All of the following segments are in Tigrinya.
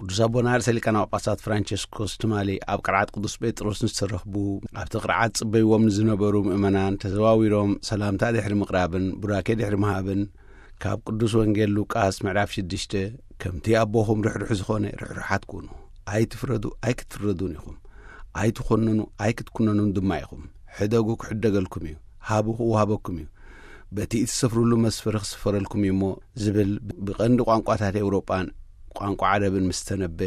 ቅዱስ ኣቦና ርእሰ ሊቃነ ጳጳሳት ፍራንቸስኮስ ትማሊ ኣብ ቅርዓት ቅዱስ ጴጥሮስ ንዝተረኽቡ፣ ኣብቲ ቅርዓት ጽበይዎም ንዝነበሩ ምእመናን ተዘዋዊሮም ሰላምታ ድሕሪ ምቕራብን ቡራኬ ድሕሪ ምሃብን፣ ካብ ቅዱስ ወንጌል ሉቃስ ምዕራፍ ሽዱሽተ፣ "ከምቲ ኣቦኹም ርሕሩሕ ዝኾነ ርሕሩሓት ኩኑ፣ ኣይትፍረዱ ኣይክትፍረዱን ኢኹም፣ ኣይትኾንኑ ኣይክትኩነኑን ድማ ኢኹም፣ ሕደጉ ክሕደገልኩም እዩ፣ ሃቡ ክወሃበኩም እዩ፣ በቲ እትሰፍሩሉ መስፈሪ ክስፈረልኩም እዩ እሞ" ዝብል ብቐንዲ ቋንቋታት ኤውሮጳን ቋንቋ ዓረብን ምስ ተነበ፣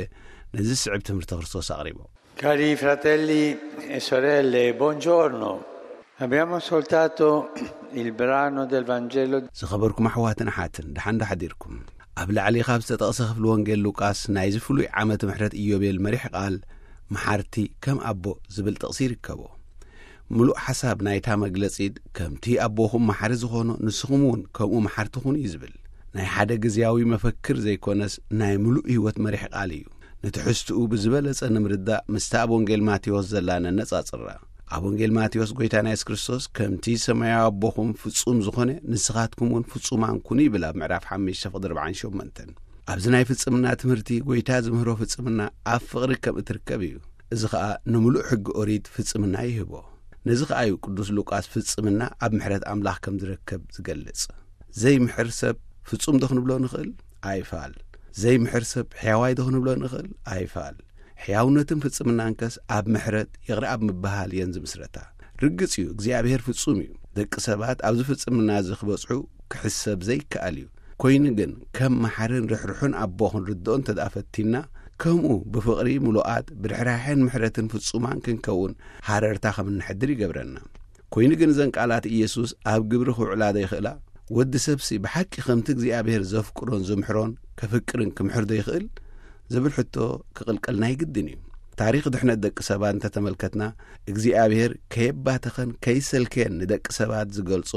ነዚ ዝስዕብ ትምህርቲ ክርስቶስ ኣቕሪቦም። Cari fratelli e sorelle, buongiorno. Abbiamo ascoltato il brano del Vangelo. ዝኸበርኩም ኣሕዋትን ኣሓትን፣ ደሓን ዶ ሓዲርኩም? ኣብ ላዕሊ ካብ ዝተጠቕሰ ክፍሊ ወንጌል ሉቃስ ናይዚ ፍሉይ ዓመት ምሕረት ኢዮቤል መሪሕ ቃል "መሓርቲ ከም ኣቦ" ዝብል ጥቕሲ ይርከቦ። ምሉእ ሓሳብ ናይታ መግለጺ "ከምቲ ኣቦኹም መሓሪ ዝኾኖ ንስኹም እውን ከምኡ መሓርቲ ኩኑ" እዩ ዝብል። ናይ ሓደ ግዝያዊ መፈክር ዘይኮነስ ናይ ምሉእ ህይወት መሪሕ ቃል እዩ። ንትሕዝትኡ ብዝበለጸ ንምርዳእ ምስታ ኣብ ወንጌል ማቴዎስ ዘላ ነነጻጽራ። ኣብ ወንጌል ማቴዎስ ጎይታና የሱስ ክርስቶስ "ከምቲ ሰማያዊ ኣቦኹም ፍጹም ዝኾነ ንስኻትኩም እውን ፍጹማን ኩኑ" ይብል ኣብ ምዕራፍ ሓሙሽተ ፍቕዲ ኣርባዓን ሸሞንተን። ኣብዚ ናይ ፍጽምና ትምህርቲ ጎይታ ዝምህሮ ፍጽምና ኣብ ፍቕሪ ከም እትርከብ እዩ። እዚ ኸኣ ንምሉእ ሕጊ ኦሪት ፍጽምና ይህቦ። ነዚ ኸኣ እዩ ቅዱስ ሉቃስ ፍጽምና ኣብ ምሕረት ኣምላኽ ከም ዝረከብ ዝገልጽ። ዘይምሕር ሰብ ፍጹም ዶ ክንብሎ ንኽእል? ኣይፋል። ዘይምሕር ሰብ ሕያዋይ ዶ ክንብሎ ንኽእል? ኣይፋል። ሕያውነትን ፍጽምናንከስ ኣብ ምሕረት ይቕረ ኣብ ምብሃል እየን ዝምስረታ። ርግጽ እዩ፣ እግዚኣብሔር ፍጹም እዩ። ደቂ ሰባት ኣብዚ ፍጽምና እዚ ክበጽሑ ክሕሰብ ዘይከኣል እዩ። ኮይኑ ግን ከም መሓርን ርሕሩሕን ኣቦ ክንርድኦ እንተ ደኣ ፈቲንና፣ ከምኡ ብፍቕሪ ምሉኣት፣ ብርሕራሕን ምሕረትን ፍጹማን ክንከውን ሃረርታ ከም እንሕድር ይገብረና። ኮይኑ ግን እዘን ቃላት ኢየሱስ ኣብ ግብሪ ክውዕላ ዶ ይኽእላ? ወዲ ሰብሲ ብሓቂ ከምቲ እግዚኣብሔር ዘፍቅሮን ዝምሕሮን ከፍቅርን ክምሕር ዶ ይኽእል? ዝብል ሕቶ ክቕልቀልና ይግድን እዩ። ታሪኽ ድሕነት ደቂ ሰባት እንተተመልከትና፣ እግዚኣብሔር ከየባተኸን ከይሰልከየን ንደቂ ሰባት ዝገልጾ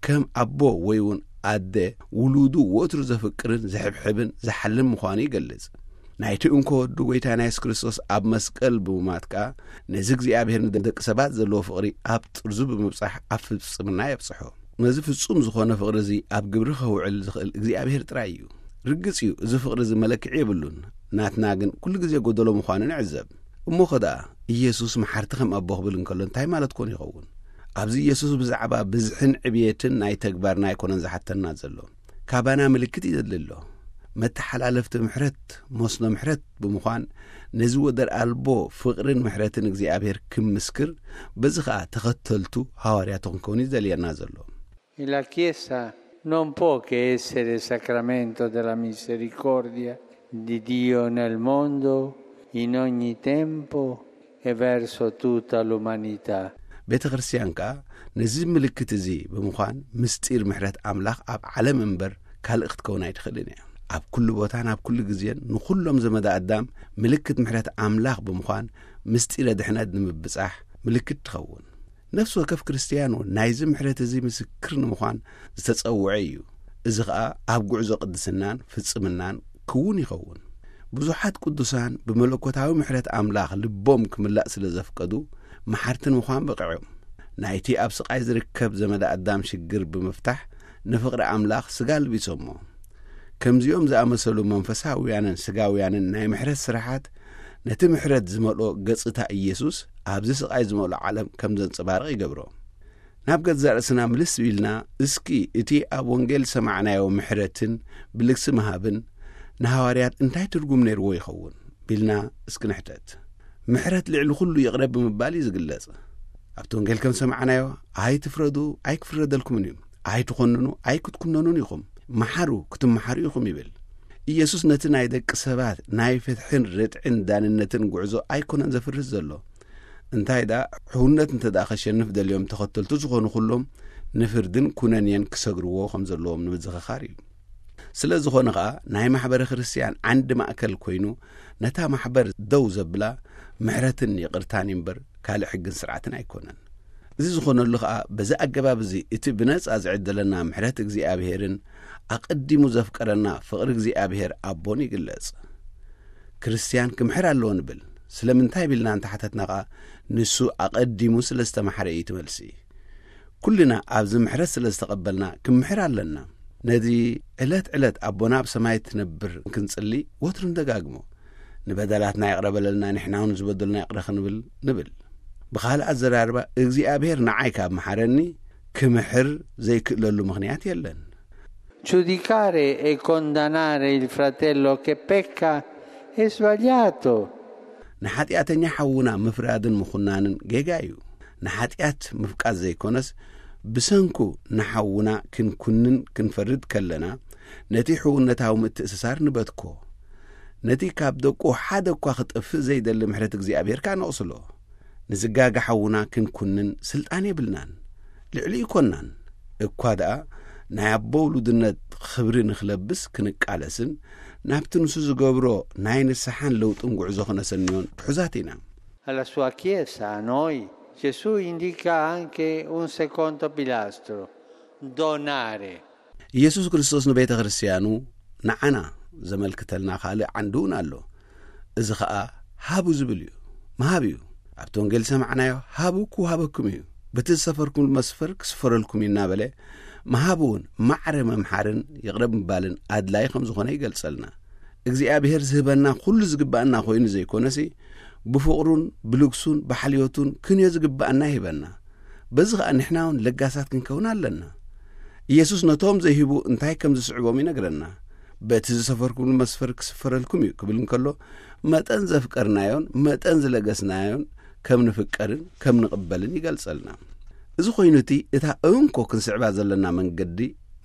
ከም ኣቦ ወይ እውን ኣደ ውሉዱ ወትሩ ዘፍቅርን ዘሕብሕብን ዝሓልን ምዃኑ ይገልጽ። ናይቲ እንኮ ወዱ ጎይታና የሱስ ክርስቶስ ኣብ መስቀል ብምማት ከኣ ነዚ እግዚኣብሔር ንደቂ ሰባት ዘለዎ ፍቕሪ ኣብ ጥርዙ ብምብጻሕ ኣብ ፍጽምና የብጽሖ። ነዚ ፍጹም ዝኾነ ፍቕሪ እዚ ኣብ ግብሪ ከውዕል ዝኽእል እግዚኣብሔር ጥራይ እዩ። ርግጽ እዩ፣ እዚ ፍቕሪ እዚ መለክዒ የብሉን። ናትና ግን ኩሉ ግዜ ጎደሎ ምዃኑ ንዕዘብ። እሞ ኸ ደኣ ኢየሱስ መሓርቲ ከም ኣቦ ክብል እንከሎ እንታይ ማለት ኮን ይኸውን? ኣብዚ ኢየሱስ ብዛዕባ ብዝሕን ዕብየትን ናይ ተግባርና ኣይኮነን ዝሓተና ዘሎ። ካባና ምልክት እዩ ዘድሊ ኣሎ። መተሓላለፍቲ ምሕረት፣ መስኖ ምሕረት ብምዃን ነዚ ወደር ኣልቦ ፍቕርን ምሕረትን እግዚኣብሔር ክምስክር በዚ ኸኣ ተኸተልቱ ሃዋርያቱ ክንከውን እዩ ዘልየና ዘሎ። E la Chiesa non può che essere sacramento della misericordia di Dio nel mondo in ogni tempo e verso tutta l'umanità. ቤተ ክርስቲያን ከኣ ነዚ ምልክት እዚ ብምዃን ምስጢር ምሕረት ኣምላኽ ኣብ ዓለም እምበር ካልእ ክትከውን ኣይትኽእልን እያ። ኣብ ኩሉ ቦታን ኣብ ኩሉ ግዜን ንኹሎም ዘመዳ ኣዳም ምልክት ምሕረት ኣምላኽ ብምዃን ምስጢረ ድሕነት ንምብጻሕ ምልክት ትኸውን። ነፍሲ ወከፍ ክርስትያን እውን ናይዚ ምሕረት እዚ ምስክር ንምዃን ዝተጸውዐ እዩ። እዚ ኸኣ ኣብ ጉዕዞ ቅድስናን ፍጽምናን ክውን ይኸውን። ብዙሓት ቅዱሳን ብመለኮታዊ ምሕረት ኣምላኽ ልቦም ክምላእ ስለ ዘፍቀዱ መሓርቲ ንምዃን በቕዖም። ናይቲ ኣብ ስቓይ ዝርከብ ዘመደ ኣዳም ሽግር ብምፍታሕ ንፍቕሪ ኣምላኽ ስጋ ኣልቢሶሞ። ከምዚኦም ዝኣመሰሉ መንፈሳውያንን ስጋውያንን ናይ ምሕረት ስራሓት ነቲ ምሕረት ዝመልኦ ገጽታ ኢየሱስ ኣብዚ ስቓይ ዝመልኦ ዓለም ከም ዘንጸባርቕ ይገብሮ። ናብ ገዛእ ርእስና ምልስ ኢልና፣ እስኪ እቲ ኣብ ወንጌል ዝሰማዕናዮ ምሕረትን ብልግሲ ምሃብን ንሃዋርያት እንታይ ትርጉም ነይርዎ ይኸውን ቢልና እስኪ ንሕተት። ምሕረት ልዕሊ ኩሉ ይቕረ ብምባል እዩ ዝግለጽ። ኣብቲ ወንጌል ከም ዝሰማዕናዮ፣ "ኣይትፍረዱ፣ ኣይክፍረደልኩምን እዩ፣ ኣይትኾንኑ፣ ኣይክትኩነኑን ኢኹም፣ መሓሩ፣ ክትመሓሩ ኢኹም" ይብል። ኢየሱስ ነቲ ናይ ደቂ ሰባት ናይ ፍትሕን ርትዕን ዳንነትን ጉዕዞ ኣይኮነን ዘፍርስ ዘሎ። እንታይ ደኣ፣ ሕውነት እንተ ደኣ ከሸንፍ ደልዮም ተኸተልቱ ዝኾኑ ኩሎም ንፍርድን ኩነኔን ክሰግርዎ ከም ዘለዎም ንምዝኽኻር እዩ። ስለ ዝኾነ ኸኣ፣ ናይ ማሕበረ ክርስትያን ዓንዲ ማእከል ኮይኑ፣ ነታ ማሕበር ደው ዘብላ ምሕረትን ይቕርታን እምበር፣ ካልእ ሕግን ስርዓትን ኣይኮነን። እዚ ዝኾነሉ ኸኣ፣ በዚ ኣገባብ እዚ እቲ ብነጻ ዝዕደለና ምሕረት እግዚኣብሔርን ኣቐዲሙ ዘፍቀረና ፍቕሪ እግዚኣብሔር ኣቦን ይግለጽ። ክርስትያን ክምሕር ኣለዎ ንብል። ስለምንታይ ቢልና እንተሓተትና ኸኣ፣ ንሱ ኣቐዲሙ ስለ ዝተማሕረ እዩ እቲ መልሲ። ኩልና ኣብዚ ምሕረት ስለ ዝተቐበልና፣ ክምሕር ኣለና። ነዚ ዕለት ዕለት ኣቦና ኣብ ሰማይ ትነብር ክንጽሊ ወትሩ ንደጋግሞ። ንበደላትና ይቕረ በለልና፣ ንሕና እውን ዝበደሉና ይቕረ ክንብል ንብል። ብኻልእ ኣዘራርባ፣ እግዚኣብሔር ንዓይ ካብ መሓረኒ፣ ክምሕር ዘይክእለሉ ምኽንያት የለን። Giudicare e condannare il fratello che pecca è sbagliato. ንሓጢኣተኛ ሓውና ምፍራድን ምኹናንን ጌጋ እዩ። ንሓጢኣት ምፍቃድ ዘይኮነስ፣ ብሰንኩ ንሓውና ክንኩንን ክንፈርድ ከለና፣ ነቲ ሕውነታዊ ምትእስሳር ንበትኮ። ነቲ ካብ ደቁ ሓደ እኳ ክጠፍእ ዘይደሊ ምሕረት እግዚኣብሔር ከኣ ነቕስሎ። ንዝጋገ ሓውና ክንኩንን ስልጣን የብልናን። ልዕሊ ይኮናን። እኳ ደኣ ናይ ኣቦ ውሉድነት ክብሪ ንኽለብስ ክንቃለስን፣ ናብቲ ንሱ ዝገብሮ ናይ ንስሓን ለውጥን ጉዕዞ ክነሰንዮን ትሑዛት ኢና። Alla sua Chiesa, a noi, Gesù indica anche un secondo pilastro, donare. ኢየሱስ ክርስቶስ ንቤተ ክርስቲያኑ ንዓና ዘመልክተልና ካልእ ዓንዲ እውን ኣሎ። እዚ ኸኣ ሃቡ ዝብል እዩ። ምሃብ እዩ። ኣብቲ ወንጌል ዝሰማዕናዮ፣ ሃቡ ክወሃበኩም እዩ፣ በቲ ዝሰፈርኩም መስፈር ክስፈረልኩም እዩ እናበለ፣ ምሃብ እውን ማዕረ ምምሓርን ይቕረ ምባልን ኣድላይ ከም ዝኾነ ይገልጸልና። እግዚኣብሔር ዝህበና ኩሉ ዝግባኣና ኮይኑ ዘይኮነሲ፣ ብፍቕሩን ብልግሱን ብሓልዮቱን ክንዮ ዝግባኣና ይህበና። በዚ ኸኣ ንሕና እውን ለጋሳት ክንከውን ኣለና። ኢየሱስ ነቶም ዘይህቡ እንታይ ከም ዝስዕቦም ይነግረና። በቲ ዝሰፈርኩምሉ መስፈር ክስፈረልኩም እዩ ክብል እንከሎ፣ መጠን ዘፍቀርናዮን መጠን ዝለገስናዮን ከም ንፍቀርን ከም ንቕበልን ይገልጸልና። እዚ ኮይኑ እቲ እታ እንኮ ክንስዕባ ዘለና መንገዲ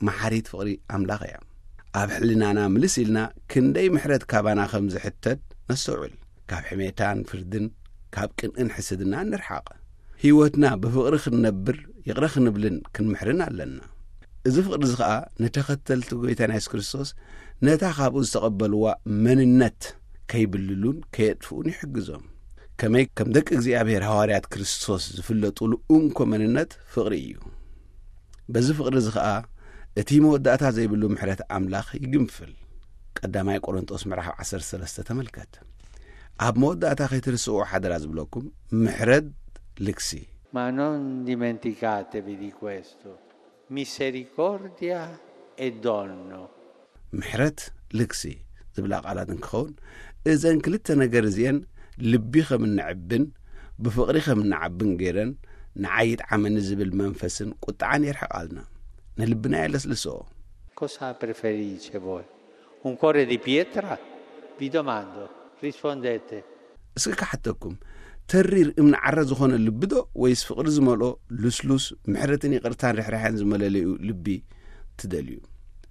መሓሪት ፍቕሪ ኣምላኽ እያ። ኣብ ሕልናና ምልስ ኢልና ክንደይ ምሕረት ካባና ከም ዝሕተት ነስተውዕል። ካብ ሕሜታን ፍርድን ካብ ቅንእን ሕስድናን ንርሓቕ። ህይወትና ብፍቕሪ ክንነብር ይቕረ ክንብልን ክንምሕርን ኣለና። እዚ ፍቕሪ እዚ ኸኣ ንተኸተልቲ ጎይታና የሱስ ክርስቶስ ነታ ካብኡ ዝተቐበልዋ መንነት ከይብልሉን ከየጥፍኡን ይሕግዞም። ከመይ ከም ደቂ እግዚኣብሔር ሃዋርያት ክርስቶስ ዝፍለጡሉ እንኮ መንነት ፍቕሪ እዩ። በዚ ፍቕሪ እዚ ኸኣ እቲ መወዳእታ ዘይብሉ ምሕረት ኣምላኽ ይግንፍል። ቀዳማይ ቆሮንጦስ ምዕራፍ ዓሰርተ ሰለስተ ተመልከት። ኣብ መወዳእታ ከይትርስእዎ ሓደራ ዝብለኩም፣ ምሕረት ልግሲ። Ma non dimenticatevi di questo, misericordia e dono. ምሕረት ልግሲ ዝብላ ቃላት እንክኸውን፣ እዘን ክልተ ነገር እዚአን ልቢ ከም እንዕብን ብፍቕሪ ከም እንዓብን ገይረን፣ ንዓይ ይጥዓመኒ ዝብል መንፈስን ቁጥዓን የርሕቓልና። ንልብና የለስልስኦ። Cosa preferisce voi? Un cuore di pietra? Vi domando, rispondete. እስኪ ክሓተኩም፣ ተሪር እምኒ ዓረ ዝኾነ ልቢ ዶ፣ ወይስ ፍቕሪ ዝመልኦ ልስሉስ ምሕረትን ይቕርታን ርሕራሕን ዝመለለዩ ልቢ ትደልዩ?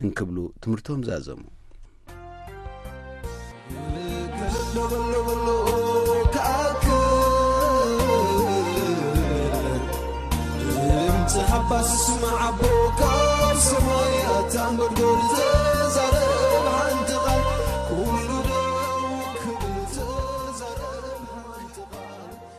እንክብሉ ትምህርቶም ዛዘሙ። ሓባስ ስማዕ ኣቦ ካብ ሰማይ ኣታ መርጎ